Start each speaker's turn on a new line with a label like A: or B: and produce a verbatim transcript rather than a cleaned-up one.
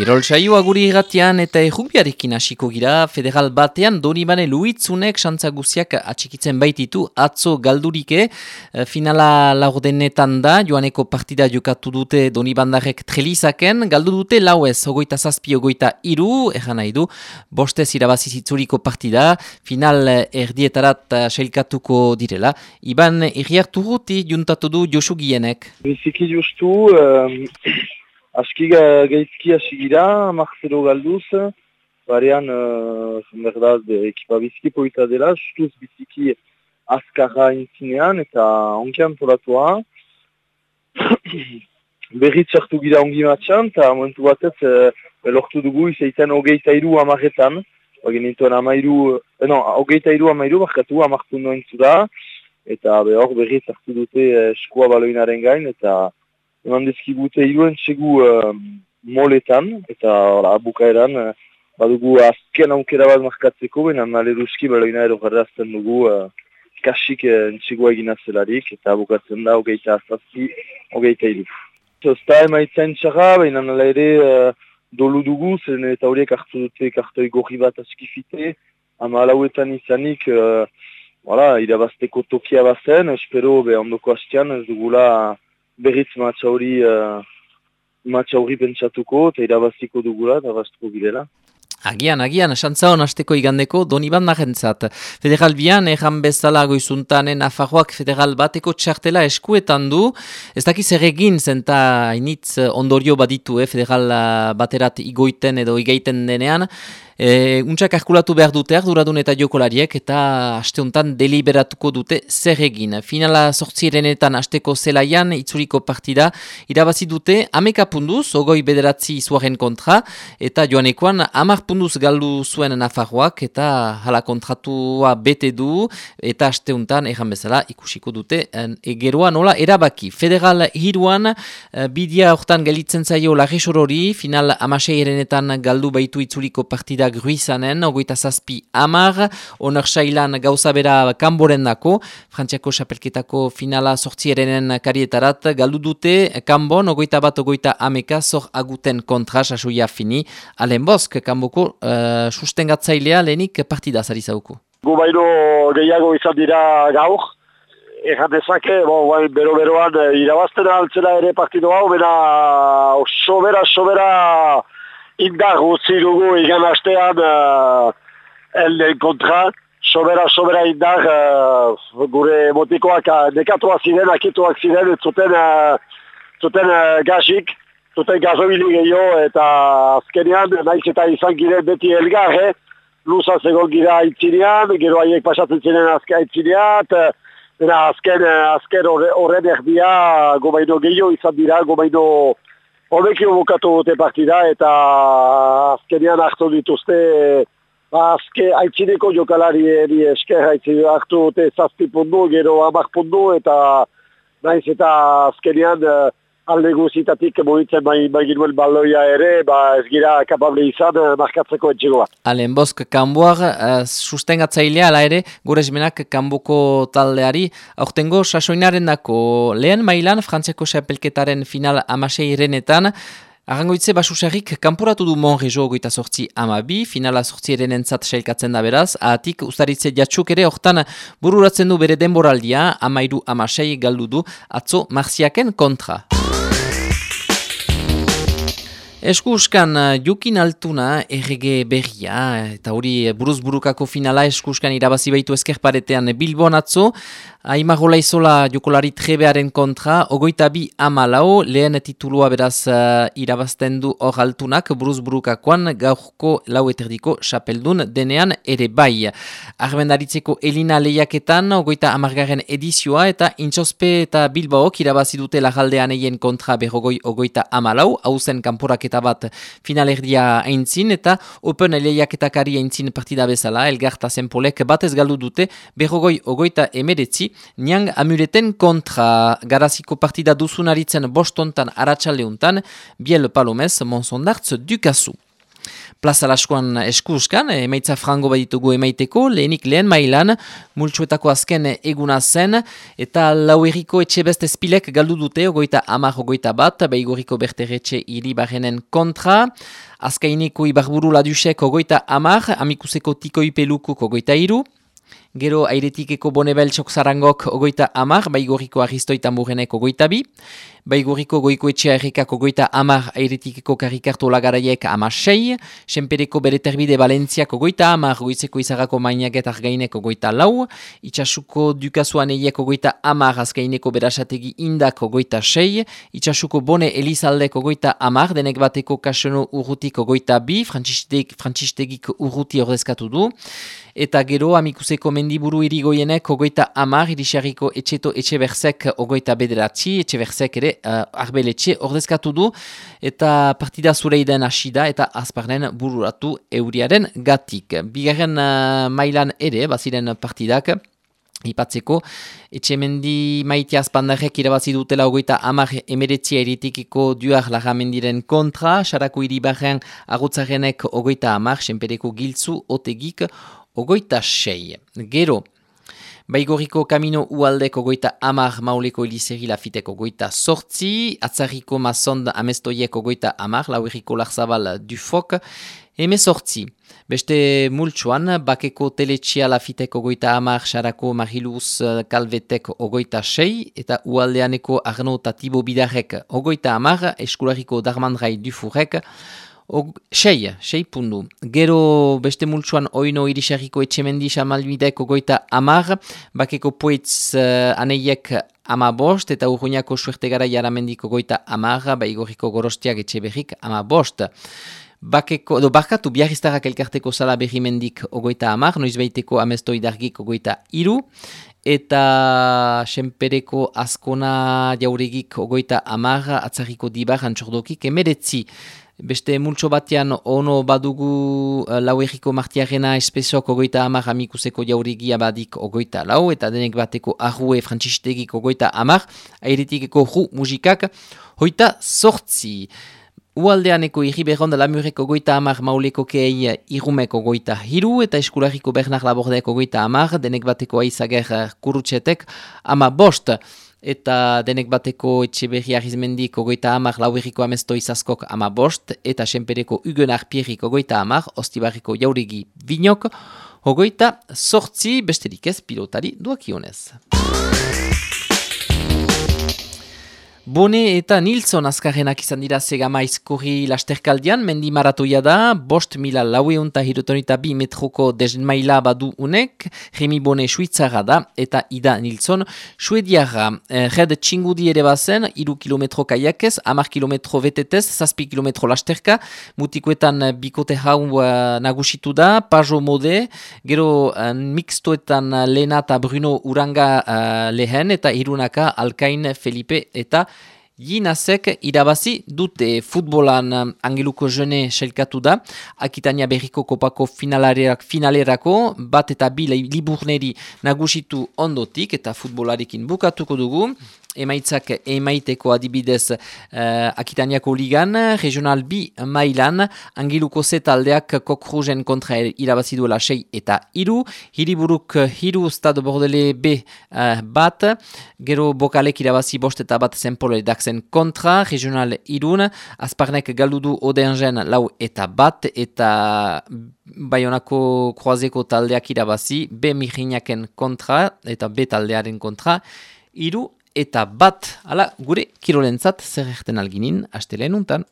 A: Kirol saioa guri irratian eta errugbiarekin hasiko gira, federal batean Donibane Luitzunek xantza guziak atxikitzen baititu atzo galdurike, finala laurdenetan da, joaneko partida jokatu dute Donibandarek trelizaken, galdu dute lauez, ogoita zazpi, ogoita iru, erran nahi du, bostez irabazizitzuriko partida, final erdietarat sailkatuko direla. Iban Iriartu guti juntatu du Josu Gienek.
B: Biziki justu, um... aski gaizki hasi gira, Marcelo galduz, barean, uh, berdaz, ekipa biziki poita dela, justuz biziki azkarra intzinean, eta onki antolatua. Berriz sartu gira ongi matxan, eta momentu batez, uh, lortu dugu, izaiten hogeita iru amarretan, bagenituen amairu, eh, no, hogeita iru amairu, markatu amartu noen zura, eta hor berriz sartu dute eskua baloinaren gain, eta eman dizkigute iruen txegu uh, moletan, eta ora, bukaeran uh, badugu azken aukera bat markatzeko, benan aleruski baloina ero jarrazten dugu uh, kasik uh, txegua egina zelarik, eta bukatzen da hogeita azazki, hogeita iru. Zosta emaitzen txarra, benan ala ere uh, dolu dugu, zen eta horiek hartu dute kartoi gorri bat askifite, ama alauetan izanik, uh, voilà, irabazteko tokia bazen, espero be ondoko hastean ez dugula berriz matxa hori uh, matxa hori pentsatuko eta irabaziko dugula eta baztuko girela.
A: Agian, agian, xantza hon hasteko igandeko Donibandarentzat. Federal bian, erran bezala goizuntanen Nafarroak federal bateko txartela eskuetan du. Ez dakiz erregin zenta initz ondorio baditu, eh, federal baterat igoiten edo igaiten denean. E, untsak arkulatu behar dute arduradun eta jokolariek eta asteuntan deliberatuko dute zer egin. Finala sortzierenetan asteko zelaian itzuriko partida irabazi dute ameka punduz, ogoi bederatzi izuaren kontra, eta joanekoan amar punduz galdu zuen Nafarroak eta hala kontratua bete du, eta asteuntan erran bezala ikusiko dute egeroa nola erabaki. Federal hiruan bidia hortan gelitzen zaio Larresorori, final amaseirenetan galdu baitu itzuriko partida Gruizanen, ogoita zazpi amar, onar sailan gauza bera kanboren dako, Frantziako xapelketako finala sortzierenen karietarat galdu dute, kanbon, ogoita bat, ogoita ameka, zor aguten kontra, sasoia fini, alen bosk, kanboko uh, sustengatzailea lehenik partida zari zauku.
C: Gu baino gehiago izan dira gaur, erran dezake, bon, bero-beroan irabazten altzela ere partido hau, bera sobera, sobera, indar guzti dugu igan astean uh, elden kontra, sobera, sobera indar uh, gure motikoak uh, nekatuak ziren, akituak ziren, zuten, uh, zuten uh, gazik, zuten gazobili gehiago, eta azkenean, naiz eta izan giren beti elgarre, luzaz egon gira aitzinean, gero haiek pasatzen ziren azken aitzinean, eta azken, azken horren erdia, gobaino gehiago izan dira, gobaino Hobekio bukatu dute partida eta azkenean hartu dituzte azke aitzineko jokalari eri esker hartu dute zazpi pundu, gero hamar pundu eta naiz eta azkenean alde guzitatik mugitzen maginuen baloia ere, ba ez gira kapable izan markatzeko etxegoa.
A: Alen bosk kanboar, uh, sustengatzailea ala ere, gure esmenak kanboko taldeari, aurtengo sasoinaren dako lehen mailan Frantziako xapelketaren final amaseirenetan, arrangoitze basusarrik kanporatu du Monrejo goita sortzi amabi, finala sortzieren entzat sailkatzen da beraz, ahatik ustaritze jatxuk ere hortan bururatzen du bere denboraldia, amairu amasei galdu du atzo marziaken kontra. Eskuskan Jokin Altuna errege berria, eta hori buruz burukako finala eskuskan irabazi baitu eskerparetean Bilbon atzo, Aimagola izola jokolari trebearen kontra, ogoita bi amalau, lehen titulua beraz uh, irabazten du hor Altunak, buruz burukakoan gaurko lau eterdiko xapeldun denean ere bai. Arbendaritzeko Elina lehiaketan, ogoita amargaren edizioa, eta Intxospe eta Bilbaok irabazi dute lagaldean eien kontra berrogoi ogoita amalau, hauzen kanporaketa bat finalerdia aintzin, eta Open lehiaketakari aintzin partida bezala, Elgarta Zenpolek batez galdu dute berrogoi ogoita emeretzi, Niang amureten kontra garaziko partida duzunaritzen bostontan aratsaldeuntan, Biel Palomez, Monsondartz Dukazu. Plaza Laskoan eskuskan, emaitza frango baditugu emaiteko, lehenik lehen mailan, multsuetako azken eguna zen, eta Lauerriko etxe beste espilek galdu dute, ogoita amar ogoita bat, Baigorriko berteretxe iribarrenen kontra, Azkaineko ibarburu ladusek ogoita amar, Amikuseko tikoi pelukuk ogoita iru, gero airetikeko bonebeltsok zarangok ogoita amar, Baigorriko aristoita murenek ogoita bi, Baigorriko goiko etxea errekak ogoita amar, airetikeko karikarto lagaraiek ama sei, Senpereko bereterbide Valentziak ogoita amar, goizeko izarako mainaget argainek ogoita lau, Itxasuko dukasuan eiek ogoita amar, azkaineko berasategi indak ogoita sei, Itxasuko bone elizaldek ogoita amar, denek bateko kasono urrutik ogoita bi, Frantzistegik urruti ordezkatu du, eta gero Amikuseko mendiburu irigoienek ogoita amar, Irisarriko etxeto etxeberzek ogoita bederatzi, etxeberzek ere uh, arbeletxe ordezkatu du, eta partida zureiden hasida eta azparnen bururatu euriaren gatik. Bigarren uh, mailan ere, baziren partidak, ipatzeko, etxemendi maite azpandarrek irabazi dutela ogoita amar emeretzia eritikiko duar lagamendiren kontra, Sarako iribarren agutzarenek ogoita amar, Senpereko giltzu otegik ogoita sei. Gero, Baigorriko kamino ualdek ogoita amar, Mauleko elizeri lafitek ogoita sortzi, Atzarriko mazond amestoiek ogoita amar, Lauerriko larzabal dufok, eme sortzi. Beste multsuan, Bakeko teletxia lafitek ogoita amar, Sarako Mariluz Kalvetek ogoita sei, eta ualdeaneko Arno Tatibo Bidarrek ogoita amar, Eskularriko Darmandrai dufurek, Og, sei, sei pundu. Gero beste multsuan oino Irisarriko etxemendi xamalbidek ogoita amar, Bakeko poetz uh, aneiek ama bost, eta Urruñako suertegara jaramendik ogoita amar, Baigorriko gorostiak etxeberrik ama bost. Bakeko, do barkatu biarriztarrak elkarteko sala berrimendik ogoita amar, noizbeiteko amestoidargik ogoita iru, eta Senpereko azkona jauregik ogoita amar, Atzarriko dibar antxordokik emeretzi. Beste multso batean ono badugu uh, Lauerriko martiarena espesok ogoita amar, Amikuseko jauregia badik ogoita lau, eta denek bateko arrue Frantzistegik ogoita amar, airetikeko ru musikak hoita sortzi. Ualdeaneko irriberron da Lamureko ogoita amar, Mauleko kei irumeko ogoita hiru, eta Eskularriko Bernard Labordek ogoita amar, denek bateko aizager kurutxetek ama bost. Eta denek bateko etxeberri arrizmendik ogoita amar, Lauerriko amesto izaskok ama bost, eta Senpereko Huguenar Pierrik ogoita amar, Ostibarriko jauregi binok, ogoita sortzi, besterik ez pilotari duakionez. Bone eta Nilsson azkarrenak izan dira Segama izkorri lasterkaldian, mendi maratoia da, bost mila laueunta hirutonita bi metroko desmaila badu unek, Remi Bone suitzara da, eta Ida Nilsson suediara. Eh, Red txingudi ere bazen, iru kilometro kaiakez, amar kilometro betetez, zazpi kilometro lasterka, mutikoetan bikote hau uh, nagusitu da, Pajo Mode, gero uh, mixtoetan Lena eta Bruno Uranga uh, lehen, eta irunaka Alkain Felipe eta Jinazek irabazi dute. Futbolan Angeluko jene selkatu da, Akitania berriko kopako finalerak, finalerako, bat eta bi liburneri nagusitu ondotik, eta futbolarekin bukatuko dugu. Emaitzak emaiteko adibidez uh, Akitaniako ligan, regional bi mailan, Angeluko Z taldeak Kokruzen kontra irabazi duela sei eta iru, Hiriburuk hiru Stade Bordele B uh, bat, gero Bokalek irabazi bost eta bat Zenpole Daxen kontra, regional irun, Azparnek galdudu Odengen lau eta bat, eta Bayonako Kroazeko taldeak irabazi B Mirinaken kontra, eta B taldearen kontra, iru eta bat, ala gure kirolentzat zer erten alginin, astelen untan.